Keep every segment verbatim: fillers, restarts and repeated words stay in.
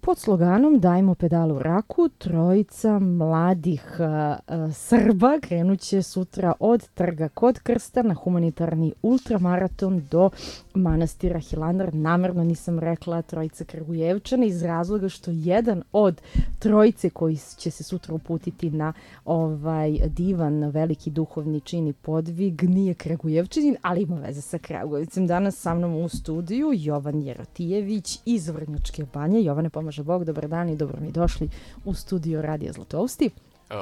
pod sloganom Dajmo pedalu raku, trojica mladih uh, Srba krenuće sutra od Trga kod Krsta na humanitarni ultramaraton do manastira Hilandar. Namerno nisam rekla trojica Kragujevčana iz razloga što jedan od trojice koji će se sutra uputiti na ovaj divan, veliki duhovni čin i podvig nije Kragujevčanin, ali ima veze sa Kragujevcem. Danas sa mnom u studiju Jovan Jerotijević iz Vrnjačke Banje. Jovane, pomaže Bog, dobar dan i dobro mi došli u studio Radija Zlatousti.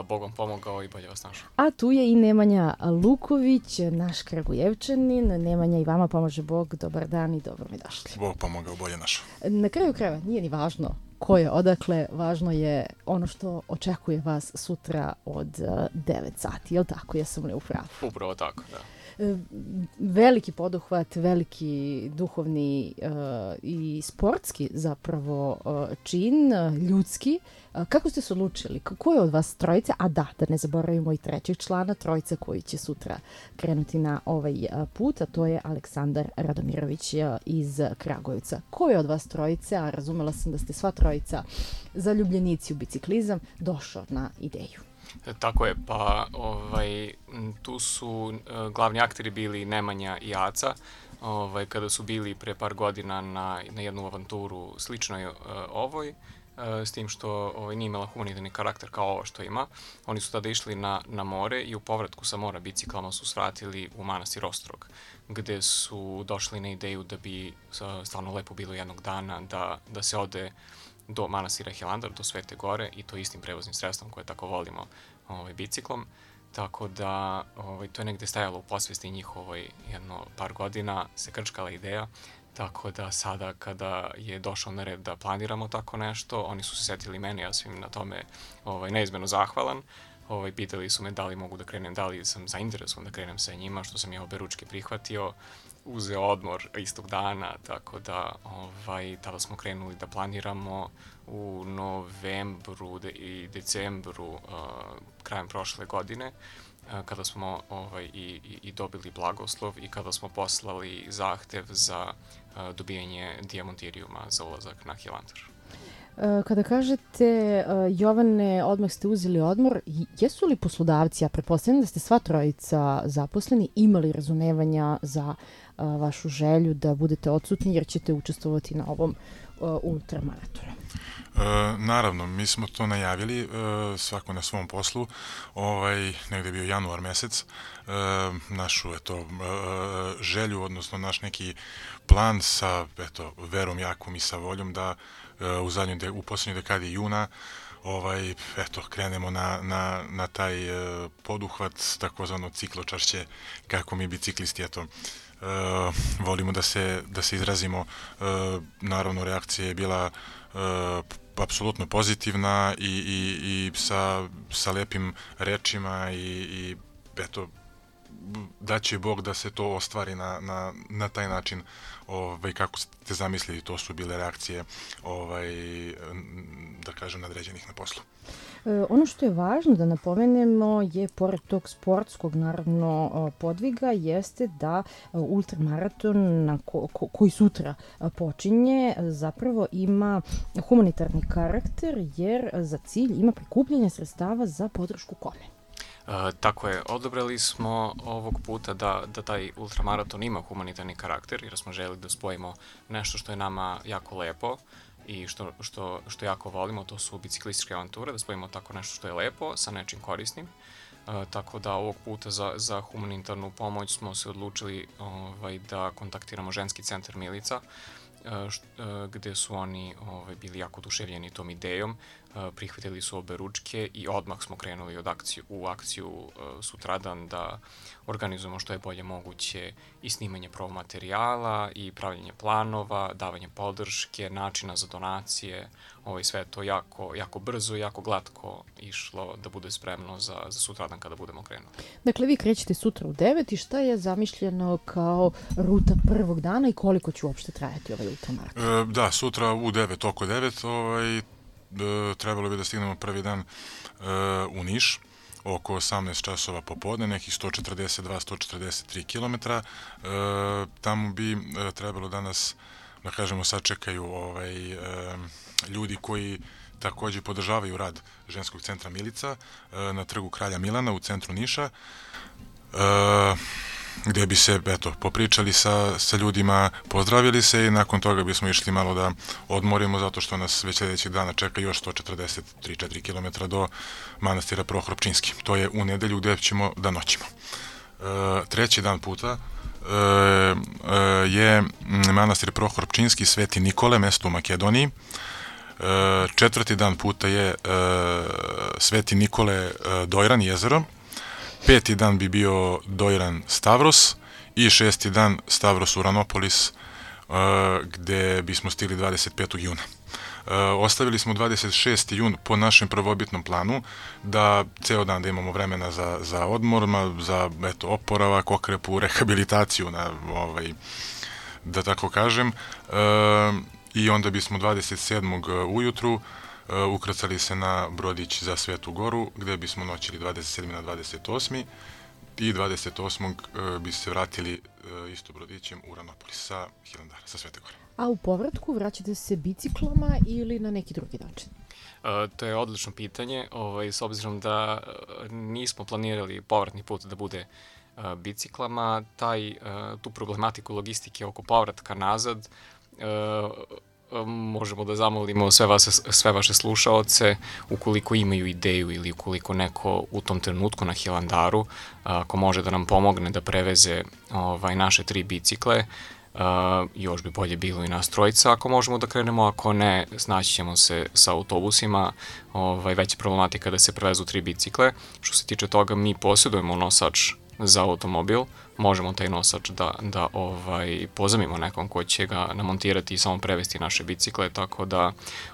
Bogom pomogao i bolje vas našao. A tu je i Nemanja Luković, naš Kragujevčanin. Nemanja, i vama pomaže Bog, dobar dan i dobro mi došli. Bog pomogao, bolje našao. Na kraju krajeva nije ni važno ko je odakle, važno je ono što očekuje vas sutra od devet sati, je li tako? Jesam li u pravu? Upravo tako, da. Veliki poduhvat, veliki duhovni uh, i sportski zapravo uh, čin, ljudski. Uh, kako ste se odlučili? Ko je od vas trojice? A da, da ne zaboravimo i trećeg člana, trojica koji će sutra krenuti na ovaj uh, put, a to je Aleksandar Radomirović uh, iz Kragujevca. Ko je od vas trojice, a razumela sam da ste sva trojica zaljubljenici u biciklizam, došao na ideju? Tako je, pa ovaj, tu su uh, glavni akteri bili Nemanja i Aca, ovaj, kada su bili pre par godina na, na jednu avanturu sličnoj uh, ovoj, uh, s tim što ovaj, nije imala humanitarni karakter kao ovo što ima. Oni su tada išli na, na more i u povratku sa mora biciklama su svratili u manastir Ostrog, gde su došli na ideju da bi uh, stvarno lepo bilo jednog dana da, da se ode do manastira Hilandar, do Svete Gore, i to istim prevoznim sredstvom koje tako volimo, ovaj, biciklom. Tako da ovaj, to je negde stajalo u posvesti njihovoj jedno par godina, se krčkala ideja, tako da sada kada je došao na red da planiramo tako nešto, oni su se setili mene, ja sam im na tome ovaj, neizmjerno zahvalan. Ovaj, pitali su me da li mogu da krenem, da li sam zainteresovan da krenem sa njima, što sam ja oberučke prihvatio, uzeo odmor istog dana, tako da ovaj, tada smo krenuli da planiramo u novembru de, i decembru uh, krajem prošle godine, uh, kada smo ovaj, i, i, i dobili blagoslov i kada smo poslali zahtev za uh, dobijanje dijamontirijuma za ulazak na Hilandar. Kada kažete, Jovane, odmah ste uzeli odmor, jesu li poslodavci, ja pretpostavljam da ste sva trojica zaposleni, imali razumevanja za vašu želju da budete odsutni jer ćete učestvovati na ovom ultramaratonu? E, naravno, mi smo to najavili, e, svako na svom poslu, ovaj, negde je bio januar mesec, e, našu eto, e, želju, odnosno naš neki plan sa eto, verom jakom i sa voljom da e, u, zadnjoj de, u poslednjoj dekadi juna ovaj, eto, krenemo na, na, na taj e, poduhvat, takozvano cikločaršće, kako mi biciklisti, eto, Uh, volimo da se, da se izrazimo. Uh, naravno, reakcija je bila uh, apsolutno pozitivna i, i, i sa, sa lepim rečima i, i eto, da će Bog da se to ostvari na, na, na taj način ovaj, kako ste zamislili, to su bile reakcije ovaj, da kažem nadređenih na poslu. E, ono što je važno da napomenemo je, pored tog sportskog naravno podviga, jeste da ultramaraton na ko, ko, koji sutra počinje zapravo ima humanitarni karakter jer za cilj ima prikupljanje sredstava za podršku kome? Uh, tako je, odabrali smo ovog puta da, da taj ultramaraton ima humanitarni karakter jer smo želeli da spojimo nešto što je nama jako lepo i što, što, što jako volimo, to su biciklističke avanture, da spojimo tako nešto što je lepo sa nečim korisnim. Uh, tako da ovog puta za, za humanitarnu pomoć smo se odlučili ovaj, da kontaktiramo ženski centar Milica, uh, št, uh, gde su oni ovaj, bili jako oduševljeni tom idejom. Prihvatili su obe ručke i odmah smo krenuli od akciju, u akciju uh, sutradan da organizujemo što je bolje moguće i snimanje promomaterijala i pravljenje planova, davanje podrške, načina za donacije, ovaj, sve to jako, jako brzo i jako glatko išlo da bude spremno za, za sutradan kada budemo krenuli. Dakle, vi krećete sutra u devet i šta je zamišljeno kao ruta prvog dana i koliko će uopšte trajati ovaj ultramaraton? E, da, sutra u devet, oko devet, ovaj, trebalo bi da stignemo prvi dan uh, u Niš, oko osamnaest časova popodne, nekih sto četrdeset dva do sto četrdeset tri kilometra. Uh, tamo bi uh, trebalo da nas, da kažemo, sačekaju ovaj, uh, ljudi koji takođe podržavaju rad ženskog centra Milica na trgu Kralja Milana u centru Niša, gde bi se, eto, popričali sa, sa ljudima, pozdravili se i nakon toga bismo išli malo da odmorimo zato što nas već sledećeg dana čeka još sto četrdeset tri do četiri kilometra do manastira Prohor Pčinjski. To je u nedelju gde ćemo da noćimo. Treći dan puta je manastir Prohor Pčinjski, Sveti Nikole, mesto u Makedoniji. Četvrti dan puta je Sveti Nikole, Dojran, jezero. Peti dan bi bio Dojran, Stavros i šesti dan Stavros, Uranopolis, gde bismo stigli dvadeset petog juna. Ostavili smo dvadeset šesti jun po našem prvobitnom planu, da ceo dan da imamo vremena za, za odmor, za eto, oporavak, okrepu, rehabilitaciju, na, ovaj, da tako kažem. I onda bismo dvadeset sedmog ujutru ukrcali se na brodić za Svetu Goru, gde bismo noćili dvadeset sedmi na dvadeset osmi i dvadeset osmog bi se vratili isto brodićem u Uranopolis sa Hilandara, sa Svete Gore. A u povratku vraćate se biciklama ili na neki drugi način? Uh, to je odlično pitanje, ovaj, s obzirom da nismo planirali povratni put da bude uh, biciklama, taj, uh, tu problematiku logistike oko povratka nazad uh, možemo da zamolimo sve, vas, sve vaše slušaoce, ukoliko imaju ideju ili ukoliko neko u tom trenutku na Hilandaru, ako može da nam pomogne da preveze ovaj, naše tri bicikle, Uh, još bi bolje bilo i nas trojica ako možemo da krenemo, ako ne, snaći ćemo se sa autobusima, ovaj, već je problematika da se prevezu tri bicikle. Što se tiče toga, mi posjedujemo nosač za automobil, možemo taj nosač da, da ovaj, pozamimo nekom ko će ga namontirati i samo prevesti naše bicikle, tako da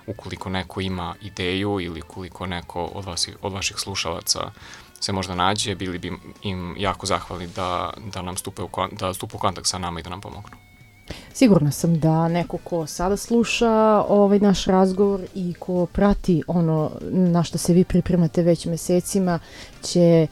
ukoliko neko ima ideju ili ukoliko neko od, vas, od vaših slušalaca se možda nađe, bili bi im jako zahvalni da, da nam stupe u, da stupe u kontakt sa nama i da nam pomognu. Sigurna sam da neko ko sada sluša ovaj naš razgovor i ko prati ono na što se vi pripremate već mesecima će e,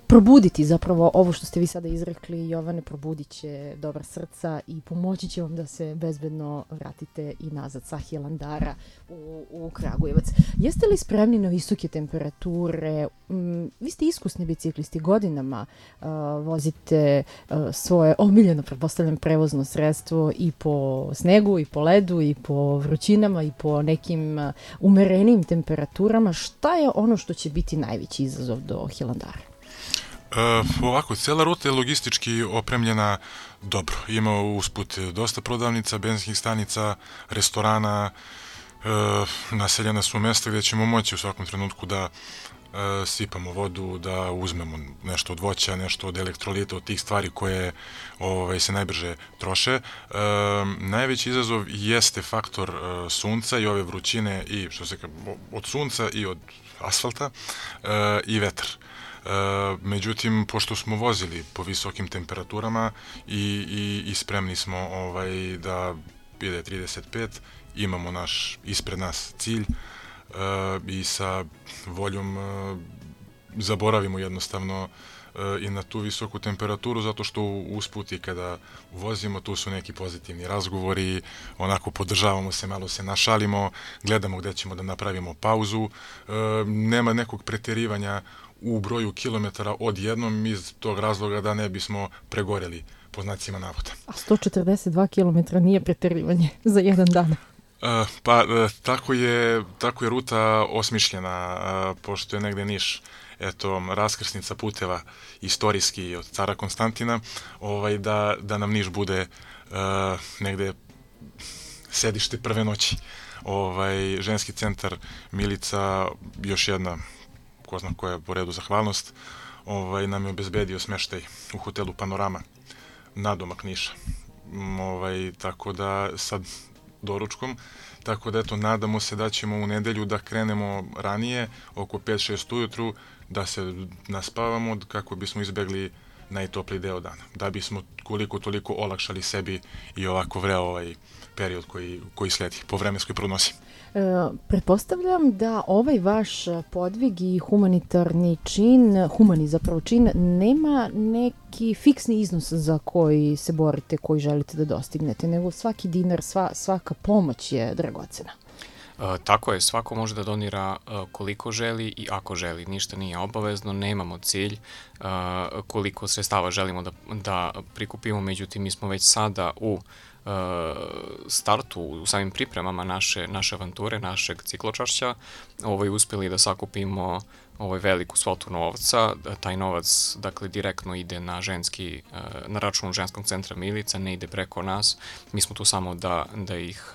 probuditi zapravo ovo što ste vi sada izrekli, Jovane, probudit će dobra srca i pomoći će vam da se bezbedno vratite i nazad sa Hilandara u, u Kragujevac. Jeste li spremni na visoke temperature? Mm, vi ste iskusni biciklisti, godinama uh, vozite uh, svoje omiljeno, pretpostavljam, prevozno sredstvo i po snegu, i po ledu, i po vrućinama, i po nekim uh, umerenim temperaturama. Šta je ono što će biti najveći izazov do Hilandara? E, ovako, cela ruta je logistički opremljena dobro. Ima usput dosta prodavnica, benzinskih stanica, restorana, e, naseljena su mesta gde ćemo moći u svakom trenutku da e, sipamo vodu, da uzmemo nešto od voća, nešto od elektrolita, od tih stvari koje ovaj, se najbrže troše. E, najveći izazov jeste faktor e, sunca i ove vrućine i što se od sunca i od asfalta e, i vetar. E, međutim, pošto smo vozili po visokim temperaturama i, i, i spremni smo ovaj, da ide trideset pet, imamo naš ispred nas cilj e, i sa voljom e, zaboravimo jednostavno i na tu visoku temperaturu, zato što usput i kada vozimo, tu su neki pozitivni razgovori, onako podržavamo se, malo se našalimo, gledamo gde ćemo da napravimo pauzu, e, nema nekog preterivanja u broju kilometara odjednom iz tog razloga da ne bismo pregoreli po znacima navoda. A sto četrdeset dva kilometra nije preterivanje za jedan dan? E, pa e, tako je, tako je ruta osmišljena, e, pošto je negde Niš eto, raskrsnica puteva istorijski od cara Konstantina, ovaj, da, da nam Niš bude uh, negde sedište prve noći. Ovaj, ženski centar Milica, još jedna, ko zna koja je po redu zahvalnost, ovaj, nam je obezbedio smeštaj u hotelu Panorama, nadomak Niša. Ovaj, tako da sad doručkom, tako da eto, nadamo se da ćemo u nedelju da krenemo ranije, oko pet šest ujutru, da se naspavamo kako bismo izbegli najtopliji deo dana, da bismo koliko toliko olakšali sebi i ovako vreo ovaj period koji, koji sledi po vremenskoj prognozi. E, pretpostavljam da ovaj vaš podvig i humanitarni čin, humani zapravo čin, nema neki fiksni iznos za koji se borite, koji želite da dostignete, nego svaki dinar, sva, svaka pomoć je dragocena. E, tako je, svako može da donira e, koliko želi i ako želi. Ništa nije obavezno, nemamo cilj e, koliko sredstava želimo da, da prikupimo, međutim mi smo već sada u startu, u samim pripremama naše, naše avanture, našeg cikločašća, ovaj, uspjeli da sakupimo ovaj, veliku svotu novca. Taj novac, dakle, direktno ide na ženski, na račun ženskog centra Milica, ne ide preko nas. Mi smo tu samo da, da ih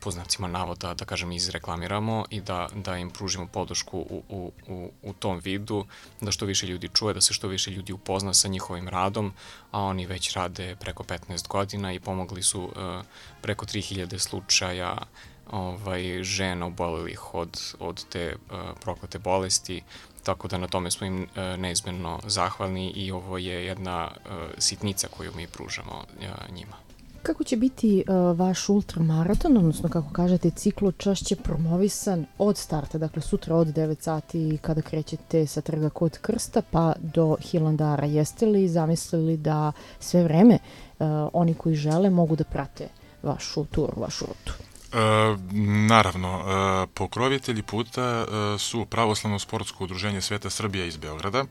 po znacima navoda, da kažem, izreklamiramo i da, da im pružimo podršku u, u, u, u tom vidu, da što više ljudi čuje, da se što više ljudi upozna sa njihovim radom, a oni već rade preko petnaest godina i pomogli su uh, preko tri hiljade slučaja ovaj, žena obolelih od, od te uh, proklete bolesti, tako da na tome smo im uh, neizmjerno zahvalni i ovo je jedna uh, sitnica koju mi pružamo uh, njima. Kako će biti uh, vaš ultramaraton, odnosno kako kažete cikločašće promovisan od starta, dakle sutra od devet sati kada krećete sa Trga kod Krsta pa do Hilandara? Jeste li zamislili da sve vreme uh, oni koji žele mogu da prate vašu turu, vašu rutu? E, naravno, e, pokrovitelji puta e, su Pravoslavno sportsko udruženje Sveta Srbija iz Beograda, e,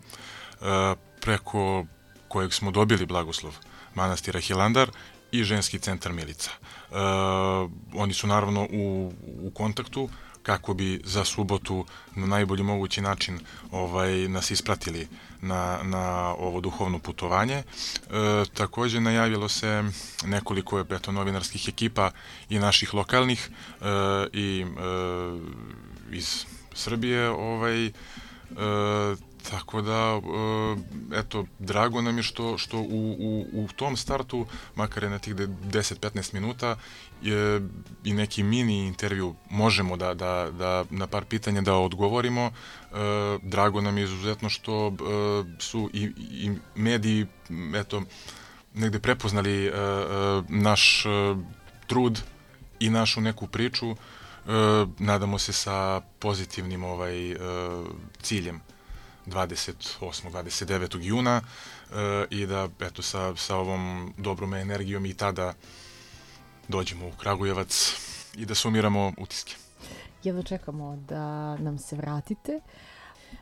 preko kojeg smo dobili blagoslov manastira Hilandar i ženski centar Milica. E, oni su naravno u, u kontaktu kako bi za subotu na najbolji mogući način ovaj, nas ispratili na, na ovo duhovno putovanje. E, također najavilo se nekoliko eto, novinarskih ekipa i naših lokalnih e, i e, iz Srbije, ovaj, e, tako da, eto, drago nam je što, što u, u, u tom startu, makar je na tih deset do petnaest minuta, je i neki mini intervju možemo da, da, da na par pitanja da odgovorimo. E, drago nam je izuzetno što e, su i, i mediji, eto, negde prepoznali e, naš e, trud i našu neku priču. E, nadamo se sa pozitivnim ovaj, e, ciljem dvadeset osmog dvadeset devetog juna e, i da eto sa, sa ovom dobrom energijom i tada dođemo u Kragujevac i da sumiramo utiske. Jedva čekamo da nam se vratite.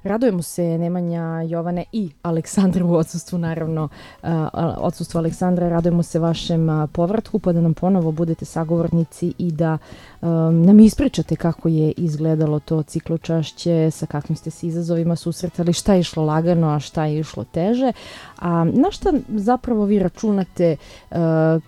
Radujemo se Nemanja, Jovane i Aleksandra u odsustvu, naravno uh, odsustvu Aleksandra, radujemo se vašem uh, povratku pa da nam ponovo budete sagovornici i da um, nam ispričate kako je izgledalo to cikločašće, sa kakvim ste se izazovima susretali, šta je išlo lagano, a šta je išlo teže. A na šta zapravo vi računate uh,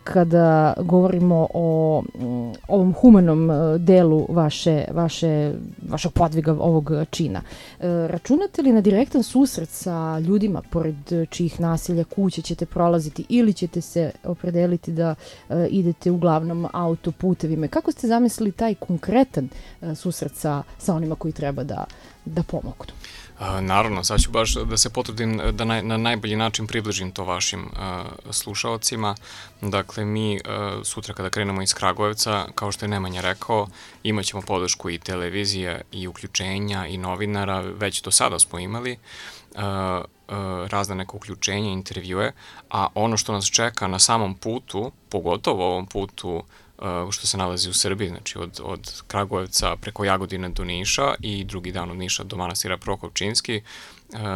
kada govorimo o um, ovom humanom uh, delu vaše, vaše, vašeg podviga ovog čina? Uh, računate li na direktan susret sa ljudima pored čijih naselja, kuće ćete prolaziti ili ćete se opredeliti da uh, idete uglavnom autoputevima? Kako ste zamislili taj konkretan uh, susret sa, sa onima koji treba da, da pomognu? Naravno, sad ću baš da se potrudim da na, na najbolji način približim to vašim uh, slušalcima. Dakle, mi uh, sutra kada krenemo iz Kragujevca, kao što je Nemanja rekao, imat ćemo podršku i televizije i uključenja i novinara, već do sada smo imali uh, uh, razne neke uključenja, intervjue, a ono što nas čeka na samom putu, pogotovo ovom putu što se nalazi u Srbiji, znači od, od Kragujevca preko Jagodine do Niša i drugi dan od Niša do manastira Prokopčinski.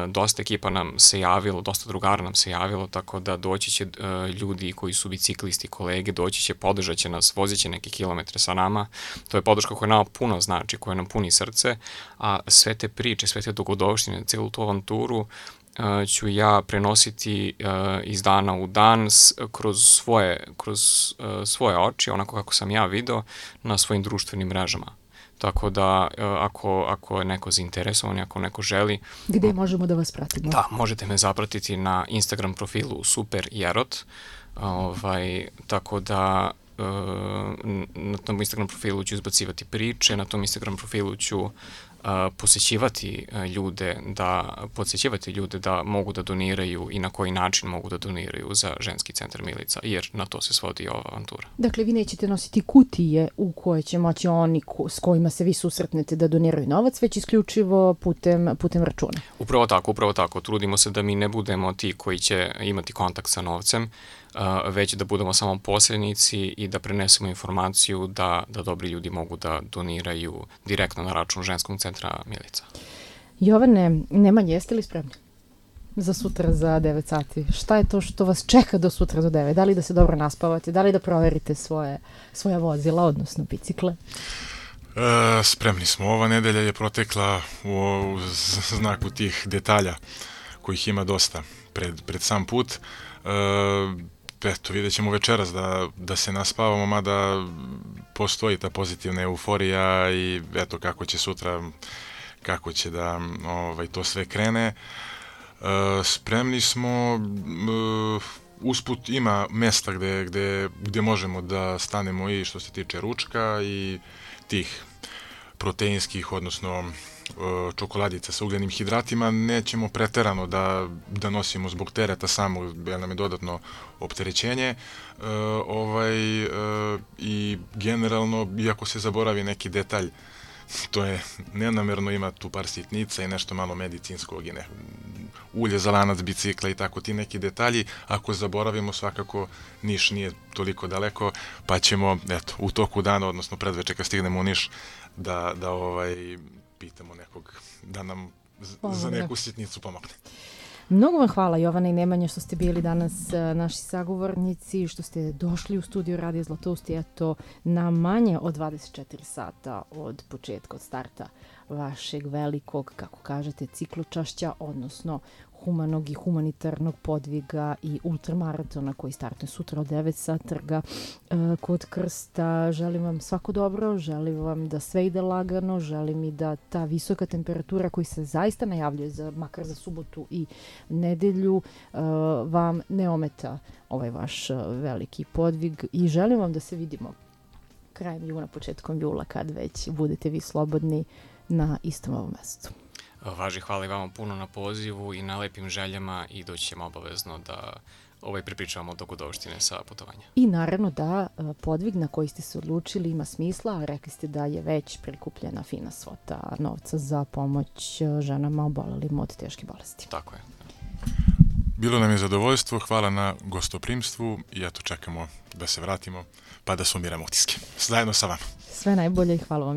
Dosta ekipa nam se javilo, dosta drugara nam se javilo, tako da doći će ljudi koji su biciklisti, kolege, doći će, podržat će nas, vozit će neke kilometre sa nama. To je podrška koja nama puno znači, koja nam puni srce, a sve te priče, sve te dogodovštine, celu tu avanturu Uh, ću ja prenositi uh, iz dana u dan s, kroz, svoje, kroz uh, svoje oči, onako kako sam ja video na svojim društvenim mrežama. Tako da uh, ako, ako je neko zainteresovan, ako neko želi... Gde možemo da vas pratimo? Da, možete me zapratiti na Instagram profilu Super Jerot. Ovaj, tako da uh, na tom Instagram profilu ću izbacivati priče, na tom Instagram profilu ću posjećivati ljude da podsjećivati ljude da mogu da doniraju i na koji način mogu da doniraju za ženski centar Milica, jer na to se svodi ova avantura. Dakle, vi nećete nositi kutije u koje će moći oni ko, s kojima se vi susretnete da doniraju novac, već isključivo putem, putem računa. Upravo tako, upravo tako. Trudimo se da mi ne budemo ti koji će imati kontakt sa novcem, već da budemo samo posrednici i da prenesemo informaciju da, da dobri ljudi mogu da doniraju direktno na račun ženskog centra Milica. Jovane, Nemanja, jeste li spremni za sutra za devet sati? Šta je to što vas čeka do sutra do devet? Da li da se dobro naspavate? Da li da proverite svoje, svoja vozila, odnosno bicikle? E, spremni smo. Ova nedelja je protekla u, u znaku tih detalja kojih ima dosta pred, pred sam put. E, Eto, vidjet ćemo večeras da, da se naspavamo, mada postoji ta pozitivna euforija i eto kako će sutra, kako će da ovaj, to sve krene. E, spremni smo, e, usput ima mesta gde, gde, gde možemo da stanemo i što se tiče ručka i tih proteinskih, odnosno čokoladica sa ugljenim hidratima, nećemo preterano da, da nosimo zbog tereta samog, jer nam je dodatno opterećenje. E, ovaj, e, I generalno, iako se zaboravi neki detalj, to je nenamerno, ima tu par sitnica i nešto malo medicinskog i ne, ulje za lanac bicikla i tako ti neki detalji. Ako zaboravimo, svakako Niš nije toliko daleko, pa ćemo eto, u toku dana, odnosno predveče kad stignemo u Niš, da, da ovaj, pitamo nekog da nam z- za neku sitnicu pomogne. Mnogo vam hvala, Jovana i Nemanja, što ste bili danas uh, naši sagovornici, što ste došli u studio Radio Zlatoust, eto, na manje od dvadeset četiri sata od početka, od starta vašeg velikog, kako kažete, cikločašća, odnosno humanog i humanitarnog podviga i ultramaratona koji startuje sutra od devet sa trga uh, kod Krsta. Želim vam svako dobro, želim vam da sve ide lagano, želim i da ta visoka temperatura koji se zaista najavljuje za, makar za subotu i nedelju, uh, vam ne ometa ovaj vaš uh, veliki podvig i želim vam da se vidimo krajem juna, početkom jula, kad već budete vi slobodni na istom ovom mestu. Važi, hvala i vama puno na pozivu i na lepim željama i doći ćemo obavezno da ovaj pripričavamo dogodovštine sa putovanja. I naravno da podvig na koji ste se odlučili ima smisla, a rekli ste da je već prikupljena fina svota novca za pomoć ženama obolelim od teške bolesti. Tako je. Bilo nam je zadovoljstvo, hvala na gostoprimstvu i eto čekamo da se vratimo pa da sumiramo utiske. Zajedno sa vama. Sve najbolje i hvala vam.